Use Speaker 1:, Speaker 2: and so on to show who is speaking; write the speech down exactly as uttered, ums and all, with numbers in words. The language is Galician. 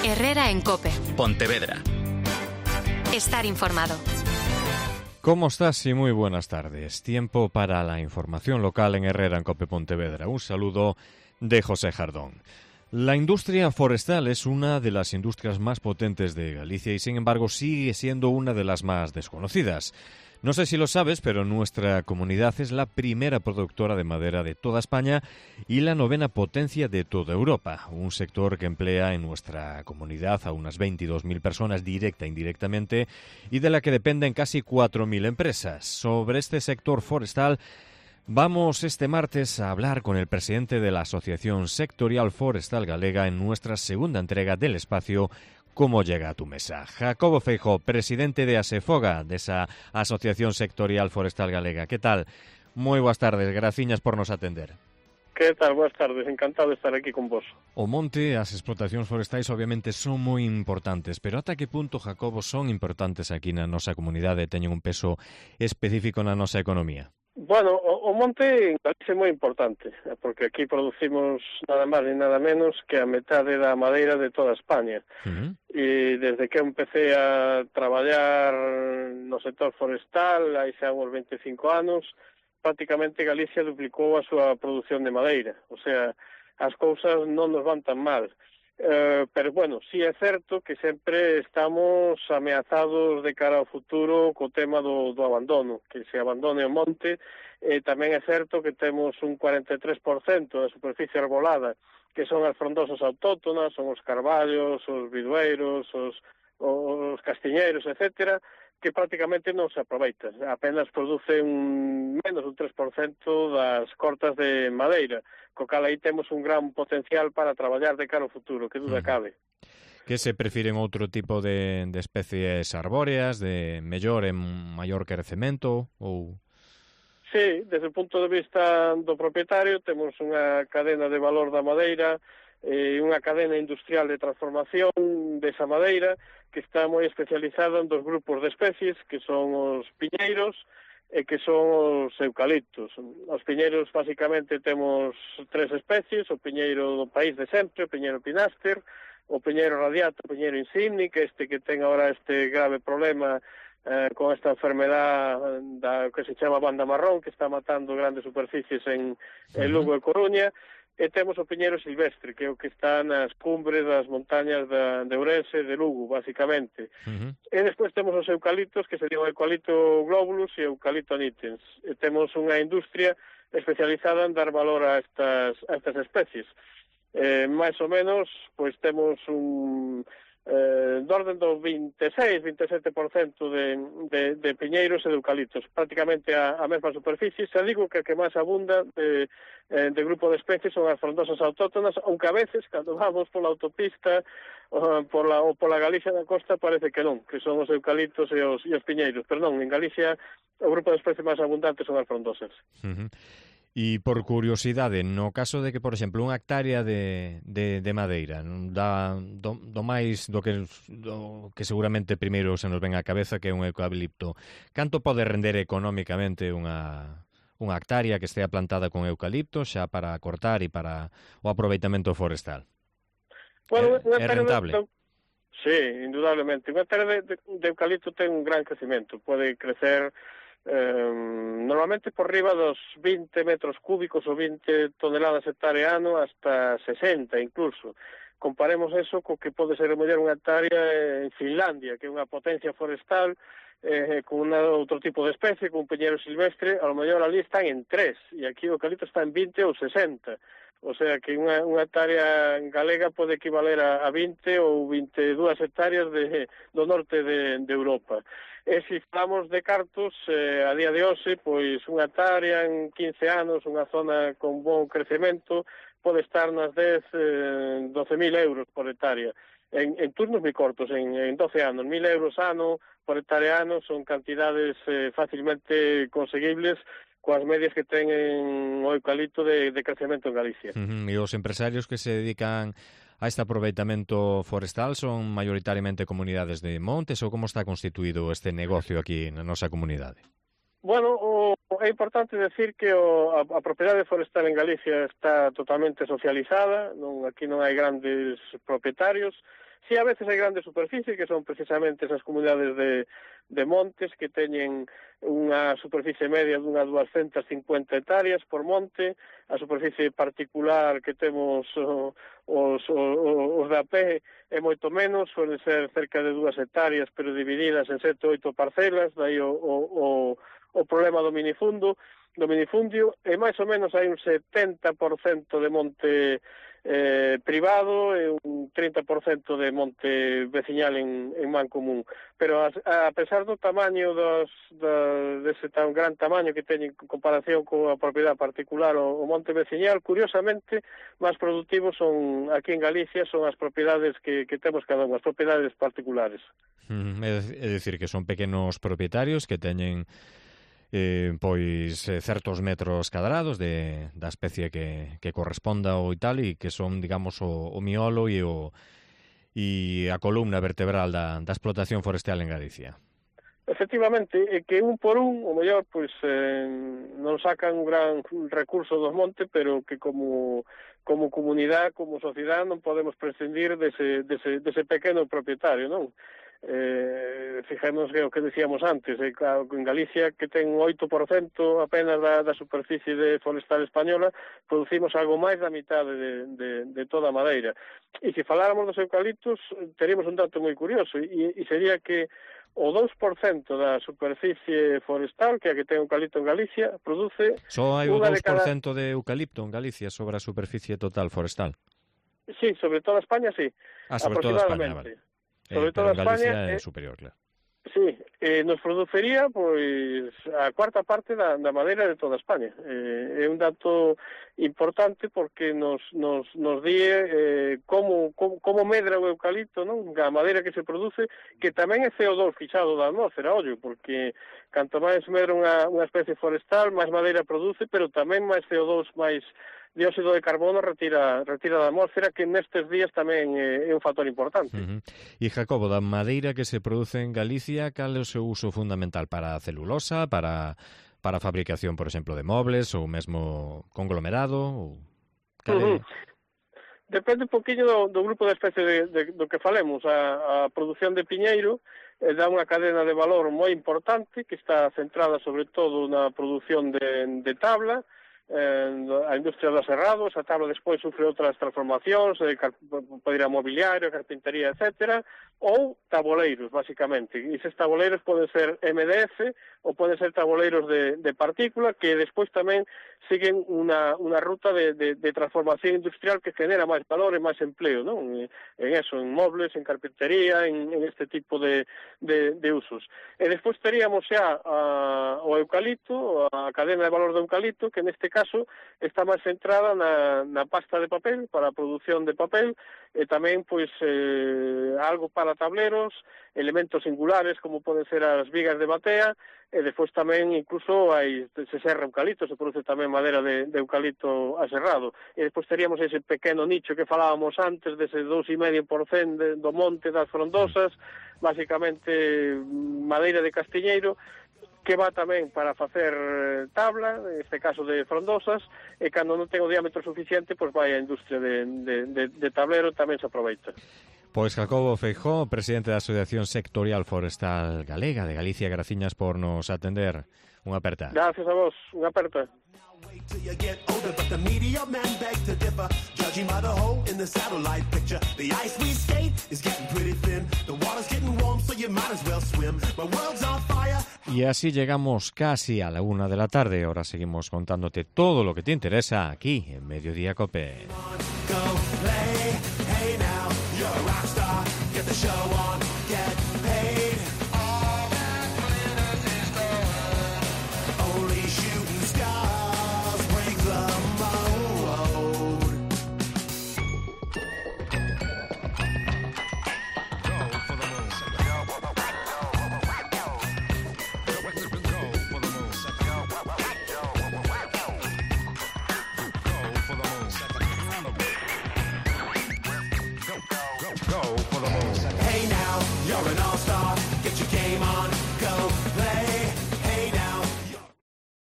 Speaker 1: Herrera en COPE.
Speaker 2: Pontevedra.
Speaker 1: Estar informado.
Speaker 3: ¿Cómo estás? Y muy buenas tardes. Tiempo para la información local en Herrera en COPE Pontevedra. Un saludo de José Jardón. La industria forestal es una de las industrias más potentes de Galicia y, sin embargo, sigue siendo una de las más desconocidas. No sé si lo sabes, pero nuestra comunidad es la primera productora de madera de toda España y la novena potencia de toda Europa. Un sector que emplea en nuestra comunidad a unas veintidós mil personas directa e indirectamente y de la que dependen casi cuatro mil empresas. Sobre este sector forestal vamos este martes a hablar con el presidente de la Asociación Sectorial Forestal Galega en nuestra segunda entrega del espacio ¿Cómo llega a tu mesa? Jacobo Feijóo, presidente de ASEFOGA, de esa Asociación Sectorial Forestal Galega. ¿Qué tal? Moi boas tardes, graciñas por nos atender.
Speaker 4: Que tal? Boas tardes, encantado de estar aquí con vos.
Speaker 3: O monte, as explotacións forestais obviamente son moi importantes, pero ata que punto, Jacobo, son importantes aquí na nosa comunidade e teñen un peso específico na nosa economía?
Speaker 4: Bueno, o, o monte en Galicia é moi importante, porque aquí producimos nada máis ni nada menos que a metade da madeira de toda España. Uh-huh. E desde que empecé a traballar no sector forestal, hai xa uns veinticinco anos, prácticamente Galicia duplicou a súa produción de madeira. O sea, as cousas non nos van tan mal. Uh, pero, bueno, sí é certo que sempre estamos ameazados de cara ao futuro co tema do, do abandono, que se abandone o monte. E tamén é certo que temos un cuarenta e tres por cento da superficie arbolada, que son as frondosas autóctonas, son os carballos, os bidueiros, os, os castiñeiros, etcétera, que prácticamente non se aproveitan. Apenas producen menos un tres por cento das cortas de madeira, co cal aí temos un gran potencial para traballar de cara ao futuro, que duda cabe.
Speaker 3: Que se prefiren outro tipo de, de especies arbóreas, de mellor e maior crecemento, ou...
Speaker 4: Sí, desde o punto de vista do propietario, temos unha cadena de valor da madeira, e unha cadena industrial de transformación desa madeira que está moi especializada en dos grupos de especies que son os piñeiros e que son os eucaliptos. Os piñeiros, basicamente, temos tres especies: o piñeiro do país de sempre, o piñeiro pináster, o piñeiro radiato, o piñeiro insigni, que este que ten agora este grave problema eh, con esta enfermedad da, que se chama banda marrón, que está matando grandes superficies en, en Lugo e Coruña. E temos o piñeiro silvestre, que é o que está nas cumbres das montañas da, de Ourense e de Lugo, basicamente. Uh-huh. E despois temos os eucaliptos, que sería o eucalipto globulus e o eucalipto nitens. E temos unha industria especializada en dar valor a estas, a estas especies. Eh, máis ou menos, pois temos un... Eh, de orden do veintiséis, veintisiete por cento de, de, de piñeiros e de eucaliptos, prácticamente a, a mesma superficie. Se digo que a que máis abunda de, de grupo de especies son as frondosas autóctonas, aunque a veces, cando vamos pola autopista uh, pola, ou pola Galicia da costa, parece que non, que son os eucaliptos e os, e os piñeiros, pero non, en Galicia o grupo de especies máis abundantes son as frondosas.
Speaker 3: Uh-huh. E por curiosidade, no caso de que, por exemplo, unha hectárea de, de, de madeira dá do, do máis do que, do que seguramente primeiro se nos ven á cabeza, que é un eucalipto, canto pode render económicamente unha, unha hectárea que estea plantada con eucalipto xa para cortar e para o aproveitamento forestal?
Speaker 4: Bueno,
Speaker 3: é, é rentable?
Speaker 4: De, sí, indudablemente. Unha hectárea de, de, de eucalipto ten un gran crecimento, pode crecer Eh, normalmente por riba dos vinte metros cúbicos ou vinte toneladas hectárea ano hasta sesenta incluso. Comparemos eso co que pode ser mellor unha hectárea en Finlandia, que é unha potencia forestal eh, con una, outro tipo de especie, con un peñeiro silvestre, a lo mellor ali están en tres, e aquí o eucalipto está en vinte ou sesenta. O sea que unha, unha hectárea galega pode equivaler a, a vinte ou veintidúas hectáreas de, do norte de, de Europa. E se falamos de cartos, eh, a día de hoxe, pois unha hectárea en quince anos, unha zona con bon crecemento, pode estar nas dez, eh, doce mil euros por hectárea. En, en turnos moi cortos, en, en doce anos, mil euros ano por hectárea ano son cantidades eh, facilmente conseguibles coas medias que ten o eucalipto de, de crecemento en Galicia.
Speaker 3: Uh-huh. E os empresarios que se dedican a este aproveitamento forestal son maioritariamente comunidades de montes ou como está constituído este negocio aquí na nosa comunidade?
Speaker 4: Bueno, o, é importante decir que o, a, a propiedade forestal en Galicia está totalmente socializada, non, aquí non hai grandes propietarios, Si a veces hai grandes superficies, que son precisamente esas comunidades de, de montes que teñen unha superficie media dunhas duascentas cincuenta hectáreas por monte, a superficie particular que temos o, os, os, os da pé é moito menos, suele ser cerca de dúas hectáreas, pero divididas en sete ou oito parcelas, dai o, o, o, o problema do minifundo, do minifundio, e máis ou menos hai un setenta por cento de monte eh, privado e un trinta por cento de monte veciñal en, en man común. Pero a, a pesar do tamaño dos, da, dese tan gran tamaño que teñen en comparación coa propiedade particular o, o monte veciñal, curiosamente, máis productivos son aquí en Galicia son as propiedades que, que temos cada unha, as propiedades particulares.
Speaker 3: Mm, é dicir, que son pequenos propietarios que teñen Eh, pois eh, certos metros cadrados de, da especie que, que corresponda ou tal, e que son, digamos, o, o miolo e o e a columna vertebral da, da explotación forestal en Galicia.
Speaker 4: Efectivamente, é que un por un, o mellor, pois, eh, non sacan un gran recurso dos montes, pero que como como comunidade, como sociedade, non podemos prescindir dese, dese, dese pequeno propietario, non? Eh, fijemos que o que decíamos antes, eh, en Galicia, que ten un oito por cento apenas da, da superficie de forestal española, producimos algo máis da mitade de, de, de toda a madeira. E se faláramos dos eucaliptos, teríamos un dato moi curioso, e, e sería que o dous por cento da superficie forestal, que é a que ten eucalipto en Galicia, produce...
Speaker 3: Só hai o
Speaker 4: unha
Speaker 3: dous por cento
Speaker 4: de, cada...
Speaker 3: de eucalipto en Galicia sobre a superficie total forestal?
Speaker 4: Sí, sobre toda España, sí.
Speaker 3: Ah, sobre toda España, vale.
Speaker 4: Sobre
Speaker 3: eh, pero
Speaker 4: toda
Speaker 3: en Galicia
Speaker 4: España,
Speaker 3: é
Speaker 4: eh,
Speaker 3: superior, claro.
Speaker 4: Sí, eh, nos produciría pois a cuarta parte da, da madeira de toda España. Eh, é un dato importante porque nos, nos, nos die eh, como, como, como medra o eucalipto, non? A madeira que se produce, que tamén é C O dos fixado da atmósfera, ollo, porque canto máis medra unha, unha especie forestal, máis madeira produce, pero tamén máis C O dos, máis dióxido de carbono retira retira da atmósfera, que nestes días tamén é, é un factor importante.
Speaker 3: Uh-huh. E, Jacobo, da madeira que se produce en Galicia, cal é o seu uso fundamental? Para a celulosa, para, para a fabricación, por exemplo, de mobles, ou mesmo conglomerado? Ou... Cal é... uh-huh.
Speaker 4: Depende un poquinho do, do grupo de especie de, de, do que falemos. A, a produción de piñeiro eh, dá unha cadena de valor moi importante, que está centrada sobre todo na produción de, de tabla, eh, a industria do aserrado. Esa tabla despois sufre outras transformacións, eh, pode ir a mobiliario, carpintería, etcétera, ou taboleiros, basicamente. E eses taboleiros poden ser M D F ou poden ser taboleiros de, de partícula, que despois tamén siguen unha, unha ruta de, de, de transformación industrial que genera máis valor e máis empleo, non? En eso, en mobles, en carpintería, en, en este tipo de, de, de usos. E despois teríamos xa a, o eucalipto, a cadena de valor do eucalipto, que neste caso está máis centrada na, na pasta de papel, para a produción de papel, e tamén, pois, eh, algo para tableros, elementos singulares, como poden ser as vigas de batea, e despois tamén incluso hai, se serra eucalipto, se produce tamén madeira de, de eucalipto aserrado. E despois teríamos ese pequeno nicho que falábamos antes, dese dous e medio por cento de, do monte das frondosas, basicamente madeira de castiñeiro, que va tamén para facer tabla, en este caso de frondosas, e cando non ten o diámetro suficiente, pois vai a industria de, de, de, de tablero, tamén se aproveita.
Speaker 3: Pois Jacobo Feijó, presidente da Asociación Sectorial Forestal Galega de Galicia, graciñas por nos atender. Unha aperta.
Speaker 4: Gracias a vos, unha aperta.
Speaker 3: Y así llegamos casi a la una de la tarde. Ahora seguimos contándote todo lo que te interesa aquí en Mediodía Cope.
Speaker 2: Hey now, you're an all-star.